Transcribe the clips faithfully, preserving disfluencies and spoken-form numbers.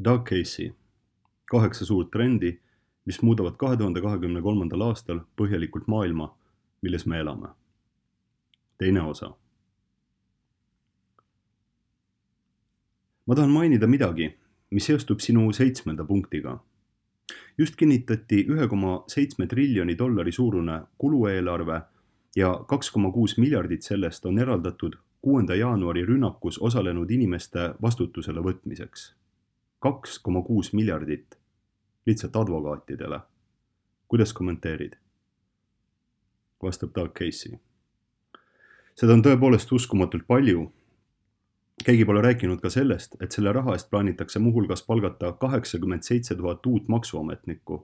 Doug Casey, kaheksa suurt trendi, mis muudavad kahe tuhande kahekümne kolmandal aastal põhjalikult maailma, milles me elame. Teine osa. Ma tahan mainida midagi, mis seostub sinu seitsmenda punktiga. Just kinnitati ühe koma seitsme triljoni dollari suurune kulueelarve ja kaks koma kuus miljardit sellest on eraldatud kuuenda jaanuari rünnakus osalenud inimeste vastutusele võtmiseks. kaks koma kuus miljardit lihtsalt advokaatidele. Kuidas kommenteerid? Vastab Doug Casey. Seda on tõepoolest uskumatult palju. Keegi pole rääkinud ka sellest, et selle raha eest plaanitakse muuhulgas palgata kaheksakümmend seitse tuhat uut maksuametnikku.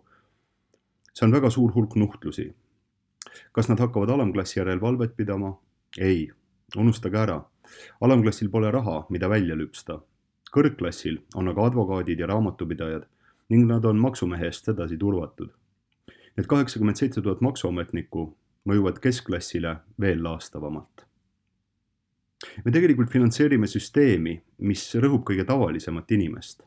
See on väga suur hulk nuhtlusi. Kas nad hakkavad alamklassi järel valvet pidama? Ei, unustage ära. Alamklassil pole raha, mida välja lüpsta. Kõrgklassil on aga advokaadid ja raamatupidajad ning nad on maksumehe eest sedasi turvatud. Need kaheksakümmend seitse tuhat maksuametnikku mõjuvad keskklassile veel laastavamalt. Me tegelikult finantseerime süsteemi, mis rõhub kõige tavalisemat inimest.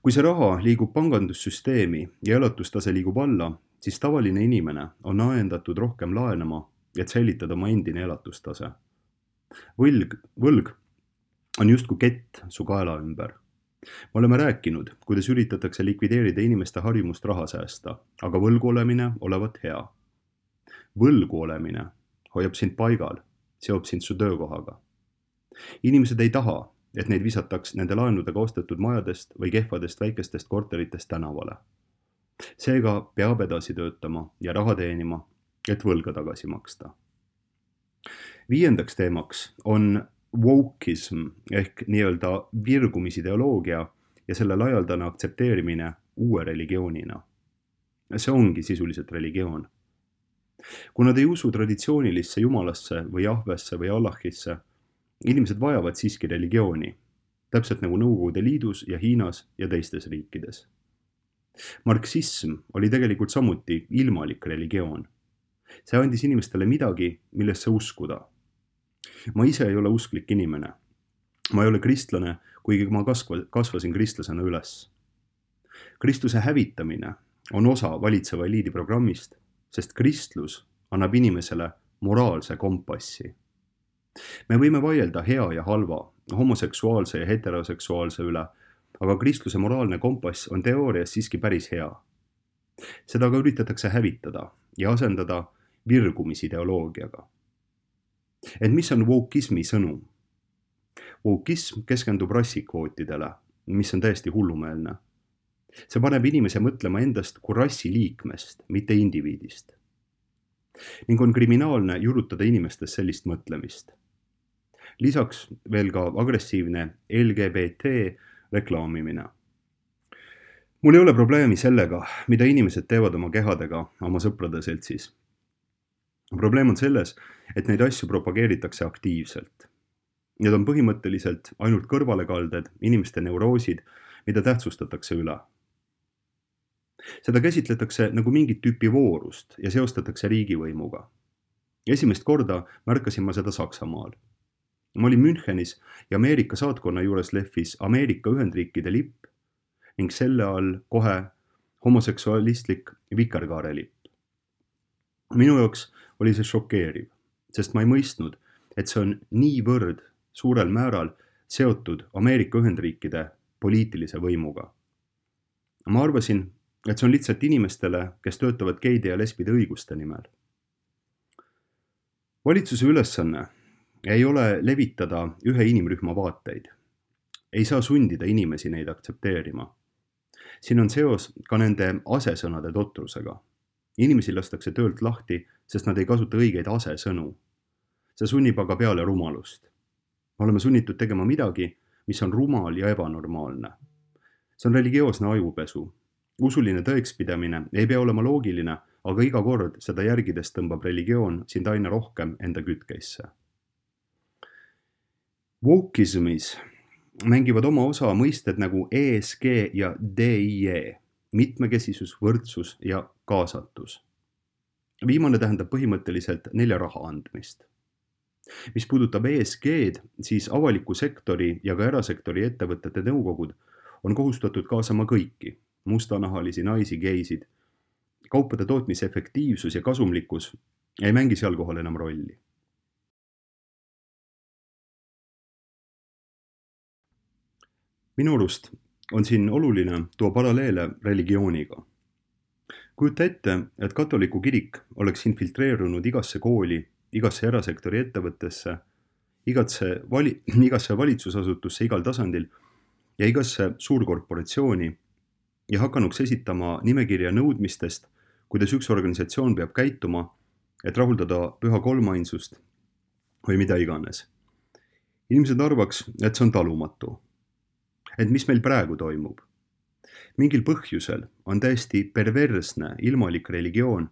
Kui see raha liigub pangandussüsteemi ja elatustase liigub alla, siis tavaline inimene on ajendatud rohkem laenama, et säilitada oma endine elatustase. Võlg, võlg on justkui kett su kaela ümber. Me oleme rääkinud, kuidas üritatakse likvideerida inimeste harjumust raha säästa, aga võlgu olemine olevat hea. Võlgu olemine hoiab sind paigal, seob sind su töökohaga. Inimesed ei taha, et neid visataks nende laenudega ostetud majadest või kehvadest väikestest korteritest tänavale. Seega peab edasi töötama ja raha teenima, et võlga tagasi maksta. Viiendaks teemaks on wokeism ehk nii-öelda virgumisideoloogia ja selle laialdane aktsepteerimine uue religioonina. See ongi sisuliselt religioon. Kui nad ei usu traditsioonilisse jumalasse või Jahvesse või Allahisse, inimesed vajavad siiski religiooni, täpselt nagu Nõukogude Liidus ja Hiinas ja teistes riikides. Marksism oli tegelikult samuti ilmalik religioon. See andis inimestele midagi, millesse uskuda. Ma ise ei ole usklik inimene. Ma ei ole kristlane, kuigi ma kasvasin kristlasena üles. Kristuse hävitamine on osa valitseva eliidi programmist, sest kristlus annab inimesele moraalse kompassi. Me võime vaielda hea ja halva, homoseksuaalse ja heteroseksuaalse üle, aga kristluse moraalne kompass on teoorias siiski päris hea. Seda ka üritatakse hävitada ja asendada virgumisideoloogiaga. Et mis on wokeismi sõnum? Wokeism keskendub rassikvootidele, mis on täiesti hullumeelne. See paneb inimese mõtlema endast kui rassi liikmest, mitte indiviidist. Ning on kriminaalne jurutada inimestes sellist mõtlemist. Lisaks veel ka agressiivne L G B T reklaamimine. Mul ei ole probleemi sellega, mida inimesed teevad oma kehadega oma sõprade seltsis. Probleem on selles, et neid asju propageeritakse aktiivselt. Need on põhimõtteliselt ainult kõrvalekalded, inimeste neuroosid, mida tähtsustatakse üle. Seda käsitletakse nagu mingit tüüpi voorust ja seostatakse riigivõimuga. Esimest korda märkasin ma seda Saksamaal. Ma olin Münchenis ja Ameerika saatkonna juures lehvis Ameerika Ühendriikide lipp ning selle all kohe homoseksualistlik vikerkaare lipp. Minu jaoks oli see šokeeriv, sest ma ei mõistnud, et see on niivõrd suurel määral seotud Ameerika Ühendriikide poliitilise võimuga. Ma arvasin, et see on lihtsalt inimestele, kes töötavad geide ja lesbide õiguste nimel. Valitsuse ülesanne ei ole levitada ühe inimrühma vaateid. Ei saa sundida inimesi neid aktsepteerima. Siin on seos ka nende asesõnade totrusega. Inimesi lastakse töölt lahti, sest nad ei kasuta õigeid asesõnu. See sunnib aga peale rumalust. Me oleme sunnitud tegema midagi, mis on rumal ja ebanormaalne. See on religioosne ajupesu. Usuline tõekspidamine ei pea olema loogiline, aga iga kord seda järgides tõmbab religioon sind aina rohkem enda kütkeisse. Wokeismis mängivad oma osa mõisted nagu E S G ja D I E, mitmekesisus, võrdsus ja kaasatus. Viimane tähendab põhimõtteliselt nelja raha andmist. Mis puudutab E S G-d, siis avaliku sektori ja ka erasektori ettevõtete nõukogud on kohustatud kaasama kõiki, mustanahalisi, naisi, geisid. Kaupade tootmise efektiivsus ja kasumlikkus ei mängi seal kohal enam rolli. Minu arust on siin oluline tuua paralleele religiooniga. Kujuta ette, et katoliku kirik oleks infiltreerunud igasse kooli, igasse erasektori ettevõttesse, igasse, vali, igasse valitsusasutusse igal tasandil ja igasse suurkorporatsiooni ja hakanuks esitama nimekirja nõudmistest, kuidas üks organisatsioon peab käituma, et rahuldada püha kolmainsust või mida iganes. Inimesed arvaks, et see on talumatu. Et mis meil praegu toimub? Mingil põhjusel on täiesti perversne ilmalik religioon,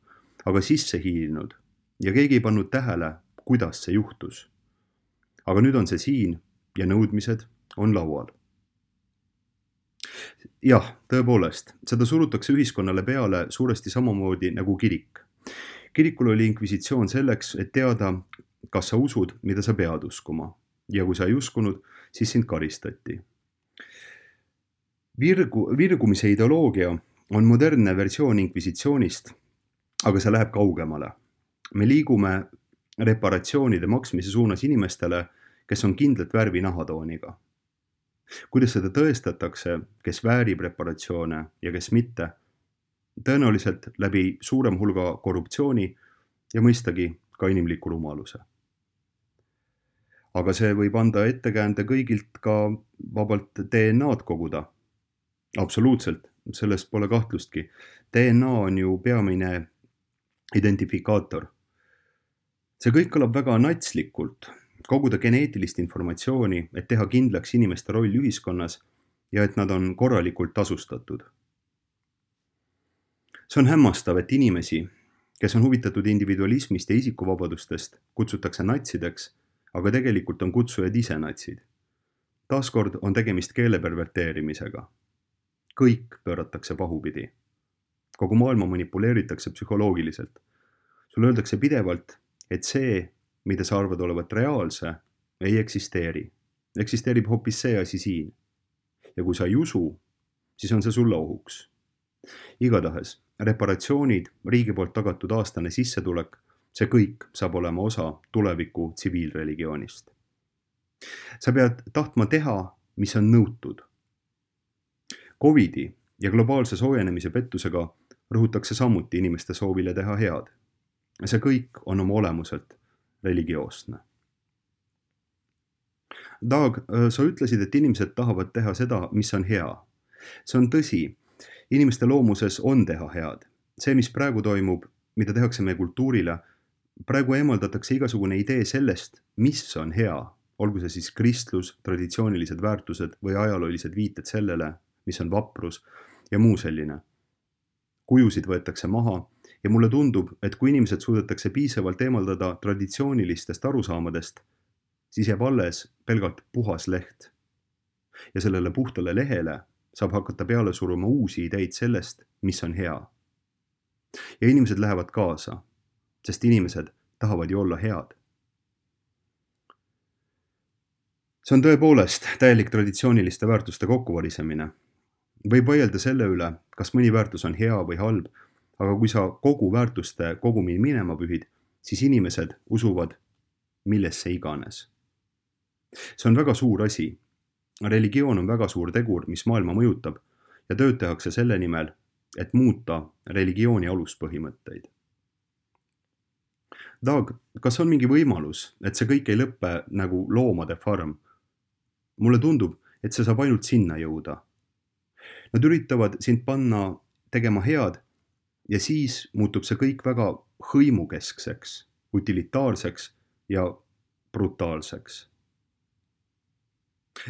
aga sisse hiilinud ja keegi ei pannud tähele, kuidas see juhtus. Aga nüüd on see siin ja nõudmised on laual. Jah, tõepoolest, seda surutakse ühiskonnale peale suuresti samamoodi nagu kirik. Kirikul oli inkvisitsioon selleks, et teada, kas sa usud, mida sa pead uskuma. Ja kui sa ei uskunud, siis sind karistati. Virgu, virgumise ideoloogia on modernne versioon inkvisitsioonist, aga see läheb kaugemale. Me liigume reparatsioonide maksmise suunas inimestele, kes on kindlat värvi nahatooniga. Kuidas seda tõestatakse, kes väärib reparatsioone ja kes mitte, tõenäoliselt läbi suurem hulga korruptsiooni ja mõistagi ka inimliku rumaluse. Aga see võib anda ettekäände kõigilt ka vabalt D N A-d koguda. Absoluutselt, sellest pole kahtlustki. D N A on ju peamine identifikaator. See kõik kõlab väga natslikult, koguda geneetilist informatsiooni, et teha kindlaks inimeste roll ühiskonnas ja et nad on korralikult tasustatud. See on hämmastav, et inimesi, kes on huvitatud individualismist ja isikuvabadustest, kutsutakse natsideks, aga tegelikult on kutsujad ise natsid. Taaskord on tegemist keele perverteerimisega. Kõik pööratakse pahupidi. Kogu maailma manipuleeritakse psühholoogiliselt. Sulle öeldakse pidevalt, et see, mida sa arvad olevat reaalse, ei eksisteeri. Eksisteerib hoopis see asi siin. Ja kui sa ei usu, siis on see sulle ohuks. Igatahes, reparatsioonid, riigi poolt tagatud aastane sissetulek, see kõik saab olema osa tuleviku tsiviilreligioonist. Sa pead tahtma teha, mis on nõutud. Covidi ja globaalse soojenemise pettusega rõhutakse samuti inimeste soovile teha head. See kõik on oma olemuselt religioosne. Dag, sa ütlesid, et inimesed tahavad teha seda, mis on hea. See on tõsi. Inimeste loomuses on teha head. See, mis praegu toimub, mida tehakse meie kultuurile, praegu eemaldatakse igasugune idee sellest, mis on hea. Olgu see siis kristlus, traditsioonilised väärtused või ajaloolised viited sellele, mis on vaprus ja muu selline. Kujusid võetakse maha ja mulle tundub, et kui inimesed suudetakse piisavalt eemaldada traditsioonilistest arusaamadest, siis jääb alles pelgalt puhas leht. Ja sellele puhtale lehele saab hakata peale suruma uusi ideid sellest, mis on hea. Ja inimesed lähevad kaasa, sest inimesed tahavad ju olla head. See on tõepoolest täielik traditsiooniliste väärtuste kokkuvarisemine. Võib vaielda selle üle, kas mõni väärtus on hea või halb, aga kui sa kogu väärtuste kogumi minema pühid, siis inimesed usuvad millesse iganes. See on väga suur asi. Religioon on väga suur tegur, mis maailma mõjutab ja tööd tehakse selle nimel, et muuta religiooni aluspõhimõtteid. Dag, kas on mingi võimalus, et see kõik ei lõppe nagu loomade farm? Mulle tundub, et see saab ainult sinna jõuda. Nad üritavad sind panna tegema head ja siis muutub see kõik väga hõimukeskseks, utilitaarseks ja brutaalseks.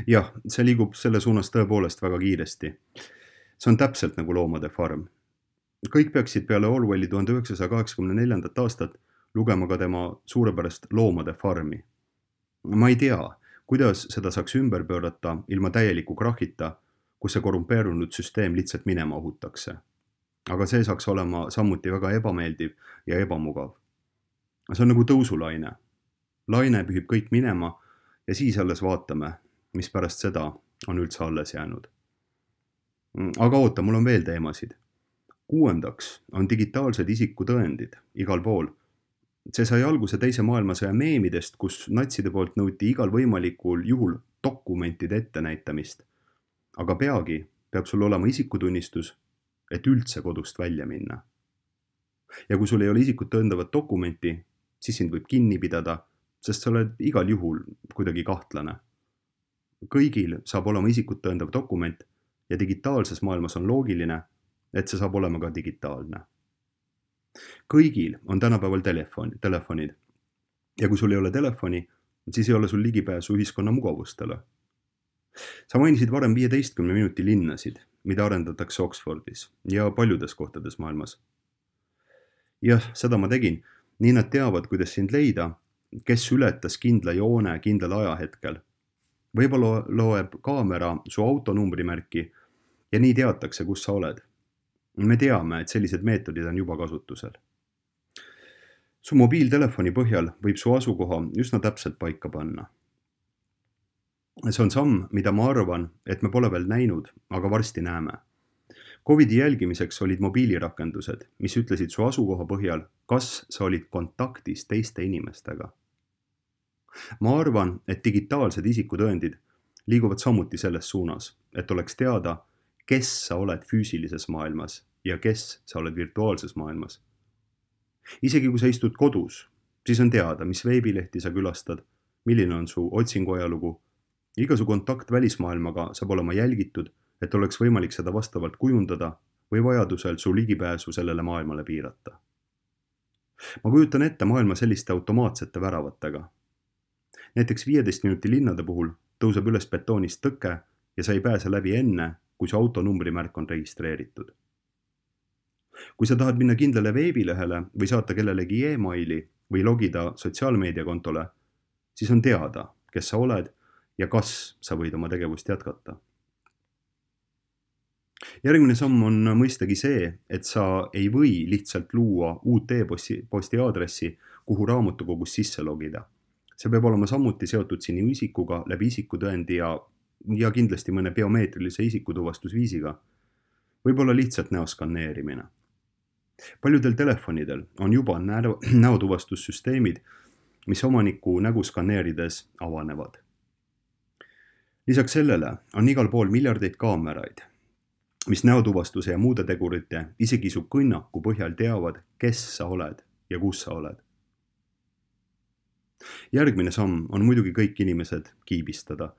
Jah, see liigub selle suunas tõepoolest väga kiiresti. See on täpselt nagu loomade farm. Kõik peaksid peale Orwelli tuhande üheksasaja kaheksakümne neljandat aastat lugema ka tema suurepärast loomade farmi. Ma ei tea, kuidas seda saaks ümber pöörata ilma täieliku krahita, kus see korrumpeerunud süsteem lihtsalt minema ohutakse. Aga see saaks olema samuti väga ebameeldiv ja ebamugav. See on nagu tõusulaine. Laine pühib kõik minema ja siis alles vaatame, mis pärast seda on üldse alles jäänud. Aga oota, mul on veel teemasid. Kuuendaks on digitaalsed isikutõendid igal pool. See sai alguse teise maailmasõja meemidest, kus natside poolt nõuti igal võimalikul juhul dokumentide ettenäitamist. Aga peagi peab sul olema isikutunnistus, et üldse kodust välja minna. Ja kui sul ei ole isikut tõendavat dokumenti, siis sind võib kinni pidada, sest sa oled igal juhul kuidagi kahtlane. Kõigil saab olema isikut tõendav dokument ja digitaalses maailmas on loogiline, et see saab olema ka digitaalne. Kõigil on tänapäeval telefon, telefonid ja kui sul ei ole telefoni, siis ei ole sul ligipääsu ühiskonna mugavustele. Sa mainisid varem viieteistkümne minuti linnasid, mida arendatakse Oxfordis ja paljudes kohtades maailmas. Jah, seda ma tegin. Nii nad teavad, kuidas sind leida, kes ületas kindla joone kindlal ajahetkel. Võib-olla loeb kaamera su auto numbrimärki ja nii teatakse, kus sa oled. Me teame, et sellised meetodid on juba kasutusel. Su mobiiltelefoni põhjal võib su asukoha üsna täpselt paika panna. See on samm, mida ma arvan, et me pole veel näinud, aga varsti näeme. Covidi jälgimiseks olid mobiilirakendused, mis ütlesid su asukoha põhjal, kas sa olid kontaktis teiste inimestega. Ma arvan, et digitaalsed isikutõendid liiguvad samuti selles suunas, et oleks teada, kes sa oled füüsilises maailmas ja kes sa oled virtuaalses maailmas. Isegi kui sa istud kodus, siis on teada, mis veebilehti sa külastad, milline on su otsingu ajalugu. Iga su kontakt välismaailmaga saab olema jälgitud, et oleks võimalik seda vastavalt kujundada või vajadusel su ligipääsu sellele maailmale piirata. Ma kujutan ette maailma selliste automaatsete väravatega. Näiteks viieteist minuti linnade puhul tõuseb üles betoonist tõke ja sa ei pääse läbi enne, kui su auto numbrimärk on registreeritud. Kui sa tahad minna kindlale veebilehele või saata kellelegi e-maili või logida sotsiaalmeediakontole, siis on teada, kes sa oled ja kas sa võid oma tegevust jätkata. Järgmine samm on mõistagi see, et sa ei või lihtsalt luua uut e-posti aadressi, kuhu raamatukogus sisse logida. See peab olema samuti seotud sinu isikuga läbi isikutõendi ja, ja kindlasti mõne biomeetrilise isikutuvastusviisiga. Võib-olla lihtsalt näoskanneerimine. Paljudel telefonidel on juba näotuvastussüsteemid, mis omaniku nägu skanneerides avanevad. Lisaks sellele on igal pool miljardeid kaameraid, mis näotuvastuse ja muude tegurite isegi su kõnnaku põhjal teavad, kes sa oled ja kus sa oled. Järgmine samm on muidugi kõik inimesed kiibistada,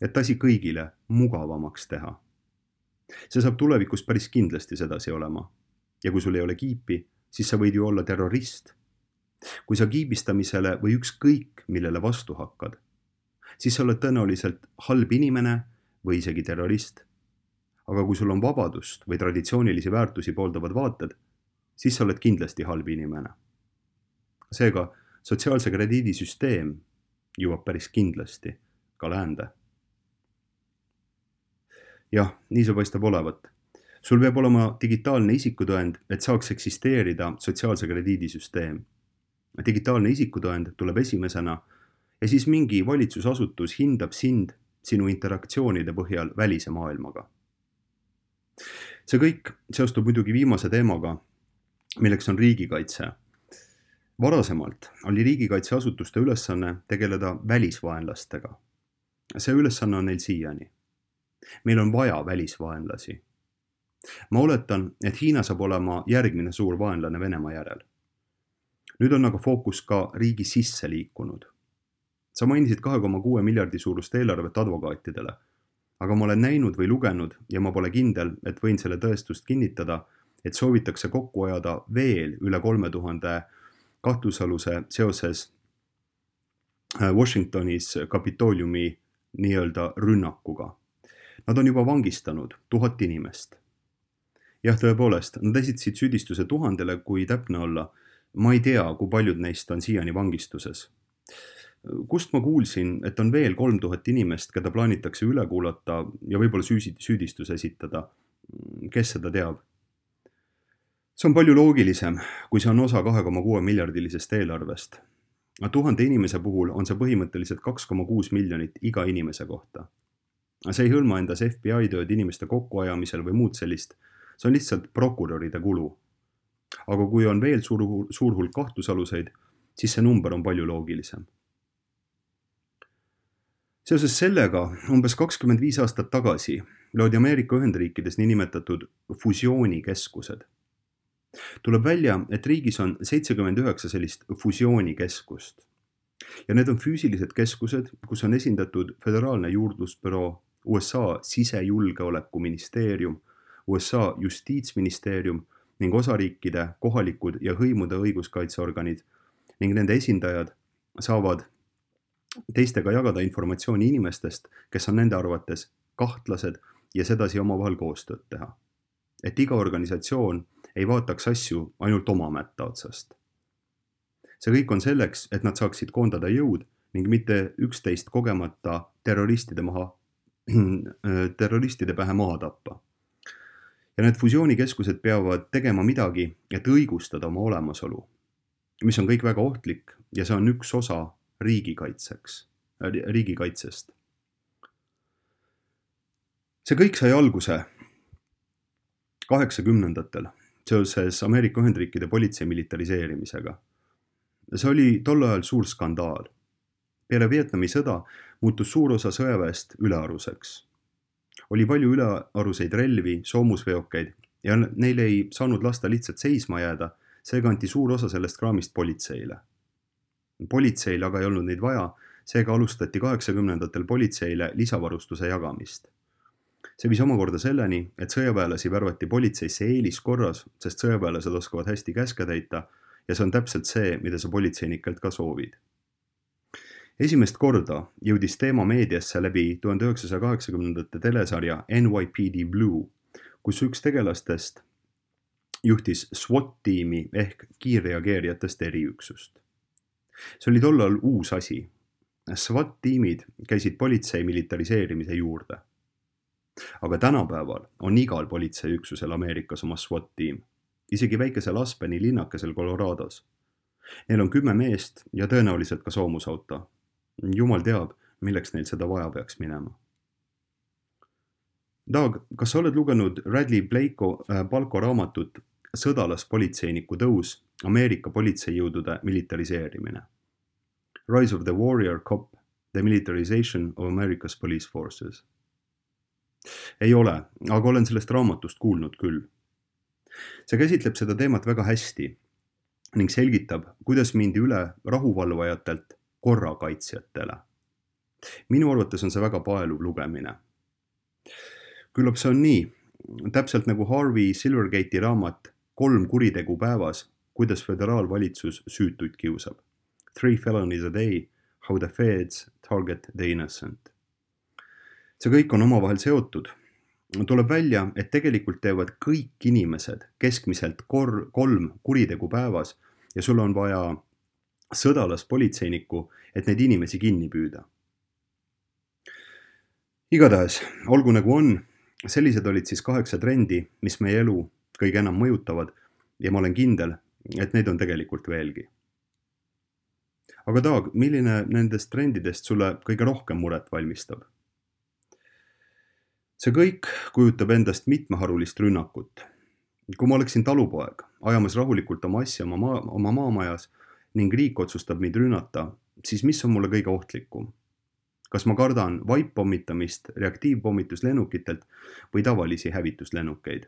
et asi kõigile mugavamaks teha. See saab tulevikus päris kindlasti sedasi olema. Ja kui sul ei ole kiipi, siis sa võid ju olla terrorist. Kui sa kiibistamisele või ükskõik, millele vastu hakkad, siis sa oled tõenäoliselt halb inimene või isegi terrorist. Aga kui sul on vabadust või traditsioonilisi väärtusi pooldavad vaated, siis sa oled kindlasti halb inimene. Seega, sotsiaalse krediidisüsteem jõuab päris kindlasti ka läände. Jah, nii see paistab olevat. Sul peab olema digitaalne isikutõend, et saaks eksisteerida sotsiaalse krediidisüsteem. Digitaalne isikutõend tuleb esimesena ja siis mingi valitsusasutus hindab sind sinu interaktsioonide põhjal välise maailmaga. See kõik seostub muidugi viimase teemaga, milleks on riigikaitse. Varasemalt oli riigikaitseasutuste ülesanne tegeleda välisvaenlastega. See ülesanne on neil siiani. Meil on vaja välisvaenlasi. Ma oletan, et Hiina saab olema järgmine suur vaenlane Venemaa järel. Nüüd on aga fookus ka riigi sisse liikunud. Sa mainisid kahe koma kuue miljardi suurust eelarvet advokaatidele, aga ma olen näinud või lugenud ja ma pole kindel, et võin selle tõestust kinnitada, et soovitakse kokku ajada veel üle kolme tuhande kahtlusaluse seoses Washingtonis Kapitooliumi nii-öelda rünnakuga. Nad on juba vangistanud tuhat inimest. Jah, tõepoolest, nad esitasid süüdistuse tuhandele, kui täpne olla. Ma ei tea, kui paljud neist on siiani vangistuses. Kust ma kuulsin, et on veel kolm tuhat inimest, keda plaanitakse üle kuulata ja võib-olla süüdistus esitada. Kes seda teab? See on palju loogilisem, kui see on osa kahe koma kuue miljardilisest eelarvest. Tuhande inimese puhul on see põhimõtteliselt kaks koma kuus miljonit iga inimese kohta. see ei hõlma endas F B I tööd inimeste kokkuajamisel või muud sellist, see on lihtsalt prokuröride kulu. Aga kui on veel suur, suur hulk kahtlusaluseid, siis see number on palju loogilisem. Seoses sellega umbes kakskümmend viis aastat tagasi loodi Ameerika Ühendriikides niinimetatud fusioonikeskused. Tuleb välja, et riigis on seitsekümmend üheksa sellist fusioonikeskust. Ja need on füüsilised keskused, kus on esindatud Föderaalne juurdlusbüroo, U S A sisejulgeolekuministeerium, U S A justiitsministeerium ning osariikide, kohalikud ja hõimude õiguskaitseorganid ning nende esindajad saavad teistega jagada informatsiooni inimestest, kes on nende arvates kahtlased ja sedasi omavahel koostööd teha. Et iga organisatsioon ei vaataks asju ainult oma mätta otsast. See kõik on selleks, et nad saaksid koondada jõud ning mitte üksteist kogemata terroristide, maha, terroristide pähe maha tappa. Ja need fusioonikeskused peavad tegema midagi, et õigustada oma olemasolu, mis on kõik väga ohtlik ja see on üks osa riigikaitseks, riigikaitsest. See kõik sai alguse kaheksakümnendatel seoses Ameerika Ühendriikide politsei militariseerimisega. See oli tol ajal suur skandaal. Peale Vietnami sõda muutus suur osa sõjaväest ülearuseks. Oli palju ülearuseid relvi, soomusveokeid ja neil ei saanud lasta lihtsalt seisma jääda, seega anti suur osa sellest kraamist politseile. Politseil aga ei olnud neid vaja, seega alustati kaheksakümnendatel politseile lisavarustuse jagamist. See viis omakorda selleni, et sõjaväelasi värvati politseisse eeliskorras, sest sõjaväelased oskavad hästi käske täita ja see on täpselt see, mida sa politseinikelt ka soovid. Esimest korda jõudis teema meediasse läbi tuhande üheksasaja kaheksakümnendate telesarja N Y P D Blue, kus üks tegelastest juhtis SWAT-tiimi ehk kiirreageerijatest eriüksust. See oli tollal uus asi. SWAT-tiimid käisid politsei militariseerimise juurde. Aga tänapäeval on igal politseiüksusel Ameerikas oma SWAT-tiim, isegi väikesel Aspeni linnakesel Colorados. Neil on kümme meest ja tõenäoliselt ka soomusauto. Jumal teab, milleks neil seda vaja peaks minema. Doug, kas sa oled lugenud Radley Blake'o Palko raamatut Sõdalaspolitseiniku tõus, Ameerika politseijõudude militariseerimine? Rise of the Warrior Cop, The Militarization of America's Police Forces. Ei ole, aga olen sellest raamatust kuulnud küll. See käsitleb seda teemat väga hästi ning selgitab, kuidas mindi üle rahuvalvajatelt korrakaitsjatele. Minu arvates on see väga paeluv lugemine. Küllap see on nii, täpselt nagu Harvey Silvergate'i raamat Kolm kuritegu päevas, kuidas föderaalvalitsus süütuid kiusab. Three felonies a day, how the feds target the innocent. See kõik on omavahel seotud. Tuleb välja, et tegelikult teevad kõik inimesed keskmiselt kor- kolm kuritegu päevas ja sul on vaja sõdalaspolitseinikku, et neid inimesi kinni püüda. Igatahes, olgu nagu on, sellised olid siis kaheksa trendi, mis meie elu kõige enam mõjutavad ja ma olen kindel, et neid on tegelikult veelgi. Aga Doug, milline nendest trendidest sulle kõige rohkem muret valmistab? See kõik kujutab endast mitmeharulist rünnakut. Kui ma oleksin talupoeg, ajamas rahulikult oma asja oma, maa, oma maamajas ning riik otsustab mind rünnata, siis mis on mulle kõige ohtlikum? Kas ma kardan vaippommitamist reaktiivpommituslennukitelt või tavalisi hävituslennukeid?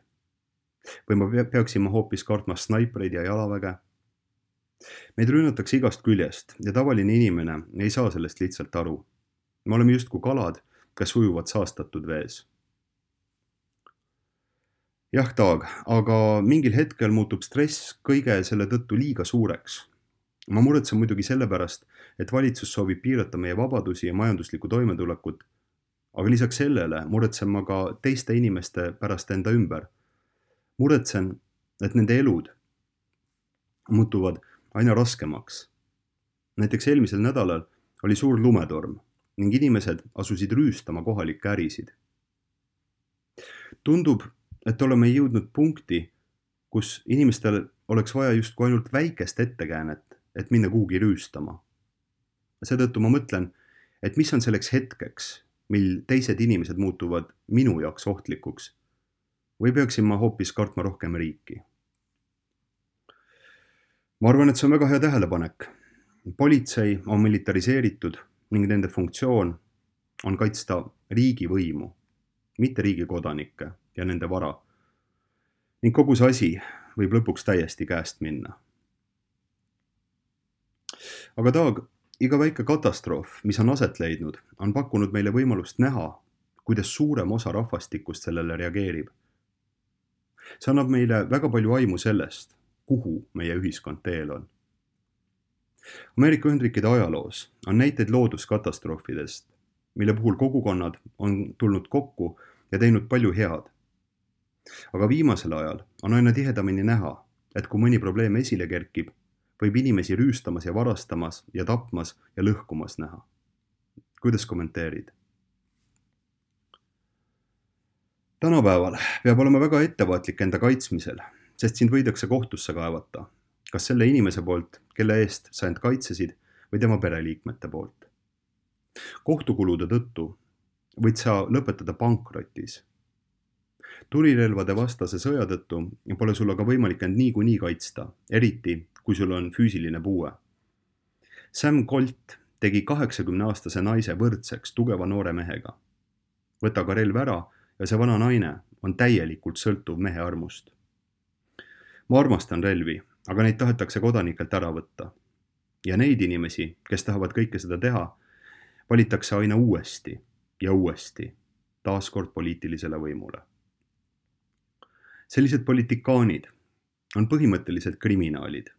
Või ma peaksin ma hoopis kartma snaipreid ja jalaväge? Meid rünnatakse igast küljest ja tavaline inimene ei saa sellest lihtsalt aru. Me oleme justkui kalad, kes ujuvad saastatud vees. Jah, Doug, aga mingil hetkel muutub stress kõige selle tõttu liiga suureks. Ma muretsen muidugi sellepärast, et valitsus soovib piirata meie vabadusi ja majanduslikku toimetulekut, aga lisaks sellele muretsen ma ka teiste inimeste pärast enda ümber. Muretsen, et nende elud muutuvad aina raskemaks. Näiteks eelmisel nädalal oli suur lumetorm ning inimesed asusid rüüstama kohalikke ärisid. Tundub, et oleme jõudnud punkti, kus inimestel oleks vaja justkui ainult väikest ettekäänet, et minna kuhugi rüüstama. Seetõttu ma mõtlen, et mis on selleks hetkeks, mil teised inimesed muutuvad minu jaoks ohtlikuks või peaksin ma hoopis kartma rohkem riiki? Ma arvan, et see on väga hea tähelepanek. Politsei on militariseeritud ning nende funktsioon on kaitsta riigi võimu, mitte riigi kodanikke ja nende vara. Ning kogu see asi võib lõpuks täiesti käest minna. Aga Taag, iga väike katastroof, mis on aset leidnud, on pakkunud meile võimalust näha, kuidas suurem osa rahvastikust sellele reageerib. See annab meile väga palju aimu sellest, kuhu meie ühiskond teel on. Ameerika Ühendriikide ajaloos on näiteid looduskatastroofidest, mille puhul kogukonnad on tulnud kokku ja teinud palju head. Aga viimasel ajal on aina tihedamini näha, et kui mõni probleem esile kerkib, võib inimesi rüüstamas ja varastamas ja tapmas ja lõhkumas näha. Kuidas kommenteerid? Tänapäeval peab olema väga ettevaatlik enda kaitsmisel, sest sind võidakse kohtusse kaevata, kas selle inimese poolt, kelle eest sa end kaitsesid, või tema pereliikmete poolt. Kohtukulude tõttu võid sa lõpetada pankrotis. Tulirelvade vastase sõja tõttu pole sul aga võimalik end niikuinii kaitsta, eriti kui sul on füüsiline puue. Sam Colt tegi kaheksakümneaastase naise võrdseks tugeva noore mehega. Võta ka relv ära ja see vana naine on täielikult sõltuv mehe armust. Ma armastan relvi, aga neid tahetakse kodanikelt ära võtta. Ja neid inimesi, kes tahavad kõike seda teha, valitakse aina uuesti ja uuesti, taaskord poliitilisele võimule. Sellised politikaanid on põhimõtteliselt kriminaalid,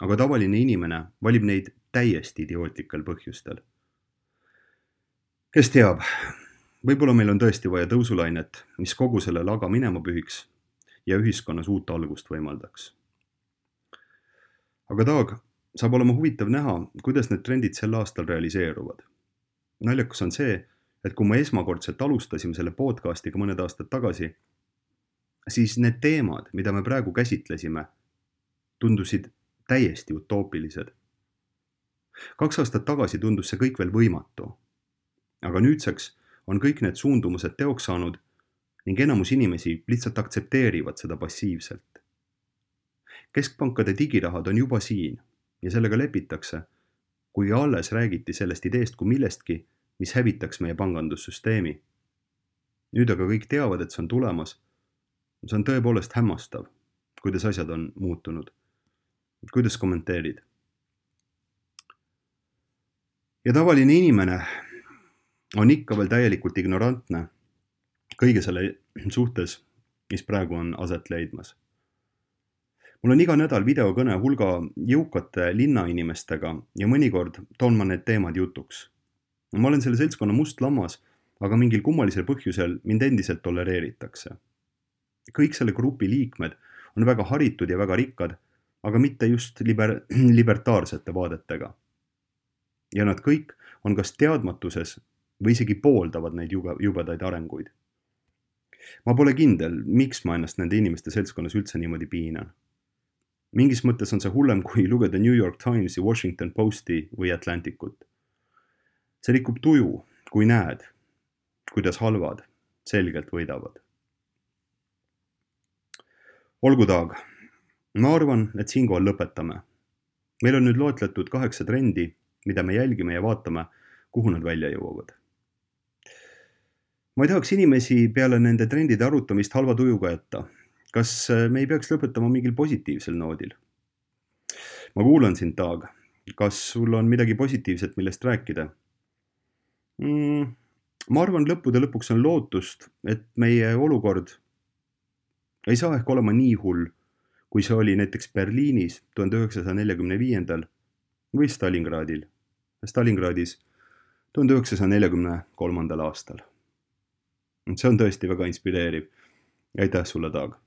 aga tavaline inimene valib neid täiesti idiootlikel põhjustel. Kes teab, võib-olla meil on tõesti vaja tõusulainet, mis kogu selle laga minema pühiks ja ühiskonnas uut algust võimaldaks. Aga Taag, saab olema huvitav näha, kuidas need trendid sel aastal realiseeruvad. Naljakas on see, et kui me esmakordselt alustasime selle podcastiga mõned aastad tagasi, siis need teemad, mida me praegu käsitlesime, tundusid täiesti utoopilised. Kaks aastat tagasi tundus see kõik veel võimatu, aga nüüdseks on kõik need suundumused teoks saanud ning enamus inimesi lihtsalt aktsepteerivad seda passiivselt. Keskpankade digirahad on juba siin ja sellega lepitakse, kui alles räägiti sellest ideest kui millestki, mis hävitaks meie pangandussüsteemi. Nüüd aga kõik teavad, et see on tulemas. See on tõepoolest hämmastav, kuidas asjad on muutunud. Kuidas kommenteerid? Ja tavaline inimene on ikka veel täielikult ignorantne kõige selle suhtes, mis praegu on aset leidmas. Mul on iga nädal videokõne hulga jõukate linnainimestega ja mõnikord toon ma need teemad jutuks. Ma olen selle seltskonna must lammas, aga mingil kummalisel põhjusel mind endiselt tolereeritakse. Kõik selle grupi liikmed on väga haritud ja väga rikkad, aga mitte just liber- libertaarsete vaadetega. Ja nad kõik on kas teadmatuses või isegi pooldavad neid jubedaid arenguid. Ma pole kindel, miks ma ennast nende inimeste seltskonnas üldse niimoodi piinan. Mingis mõttes on see hullem, kui lugeda New York Timesi, Washington Posti või Atlanticut. See rikub tuju, kui näed, kuidas halvad selgelt võidavad. Olgu Taag, ma arvan, et siinkohal lõpetame. Meil on nüüd loetletud kaheksa trendi, mida me jälgime ja vaatame, kuhu nad välja jõuavad. Ma ei tahaks inimesi peale nende trendide arutamist halva tujuga jätta. Kas me ei peaks lõpetama mingil positiivsel noodil? Ma kuulan sind, Taag. Kas sul on midagi positiivset, millest rääkida? Mm, ma arvan, lõppude lõpuks on lootust, et meie olukord ei saa ehk olema nii hull, kui see oli näiteks Berliinis tuhande üheksasaja neljakümne viiendal või Stalingradil, Stalingradis tuhande üheksasaja neljakümne kolmandal aastal. See on tõesti väga inspireeriv. Aitäh sulle, Taag!